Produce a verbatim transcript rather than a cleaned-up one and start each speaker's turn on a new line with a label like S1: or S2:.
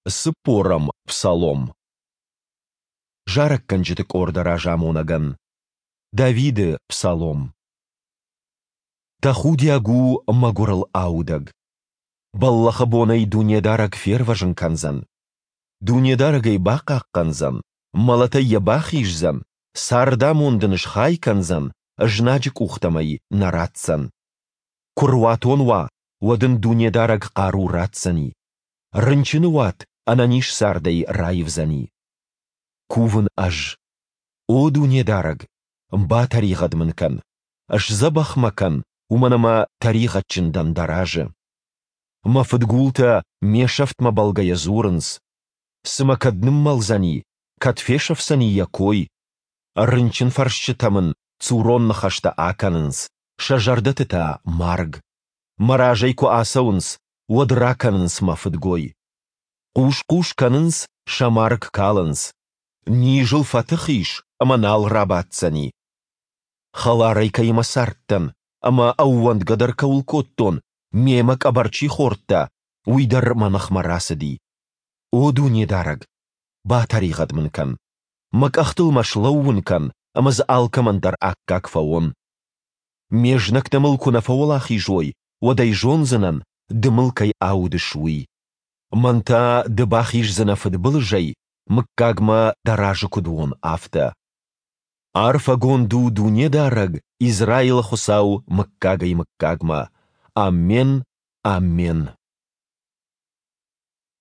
S1: Цыппорӕм псалом. Зарӕггӕнджыты къорды разамонӕгӕн. Давиды псалом. Тӕхудиаг у мӕгуырыл аудӕг. Бӕллӕхы бон ӕй Дунедарӕг фервӕзын кӕндзӕн. Дунедарӕг ӕй бахъахъхъӕндзӕн, мӕлӕтӕй йӕ бахиздзӕн, цардамонд ын схай кӕндзӕн, знаджы къухтӕм ӕй нӕ ратдзӕн. Куы руатон уа, уӕд ын Дунедарӕг хъару ратдзӕни. Рынчыны уат ӕнӕниз цардӕй раивдзӕни. Кувын ӕз. О Дунедарӕг, батӕригъӕд мын кӕн, сдзӕбӕх мӕ кӕн, уымӕн ӕмӕ тӕригъӕдджын дӕн Дӕ разы. Мӕ фыдгултӕ ме сӕфтмӕ бӕлгӕйӕ дзурынц: Цымӕ кӕд ныммӕлдзӕни, кӕд фесӕфдзӕни йӕ кой? Рынчынфӕрсджытӕ мын цурон ныхӕстӕ акӕнынц, сӕ зӕрдӕты та марг. Мӕ разӕй куы ацӕуынц, уӕд ракӕнынц мӕ фыдгой. Хъус-хъус кӕнынц, сӕ марг калынц. Низ ыл фӕтых ис ӕмӕ нал рабаддзӕни. Хӕларӕй кӕимӕ цардтӕн ӕмӕ ӕууӕндгӕ дӕр кӕуыл кодтон, мемӕ къӕбӕр чи хордта, уый дӕр мӕ ныхмӕ рацыди. О Дунедарӕг, батӕригъӕд мын кӕн. Мӕ къӕхтыл мӕ слӕууын кӕн, ӕмӕ дзы алкӕмӕн дӕр аккаг фӕуон. Ме знӕгтӕ мыл куы нӕ фӕуӕлахиз уой, уӕд ӕй зондзынӕн, ды мыл кӕй аудыс, уый. Мӕн та ды бахиздзынӕ фыдбылызӕй, мыггагмӕ дӕ разы куыд уон, афтӕ. Арфӕгонд у Дунедарӕг, Израилы Хуыцау, мыггагӕй-мыггагмӕ! Аммен, аммен!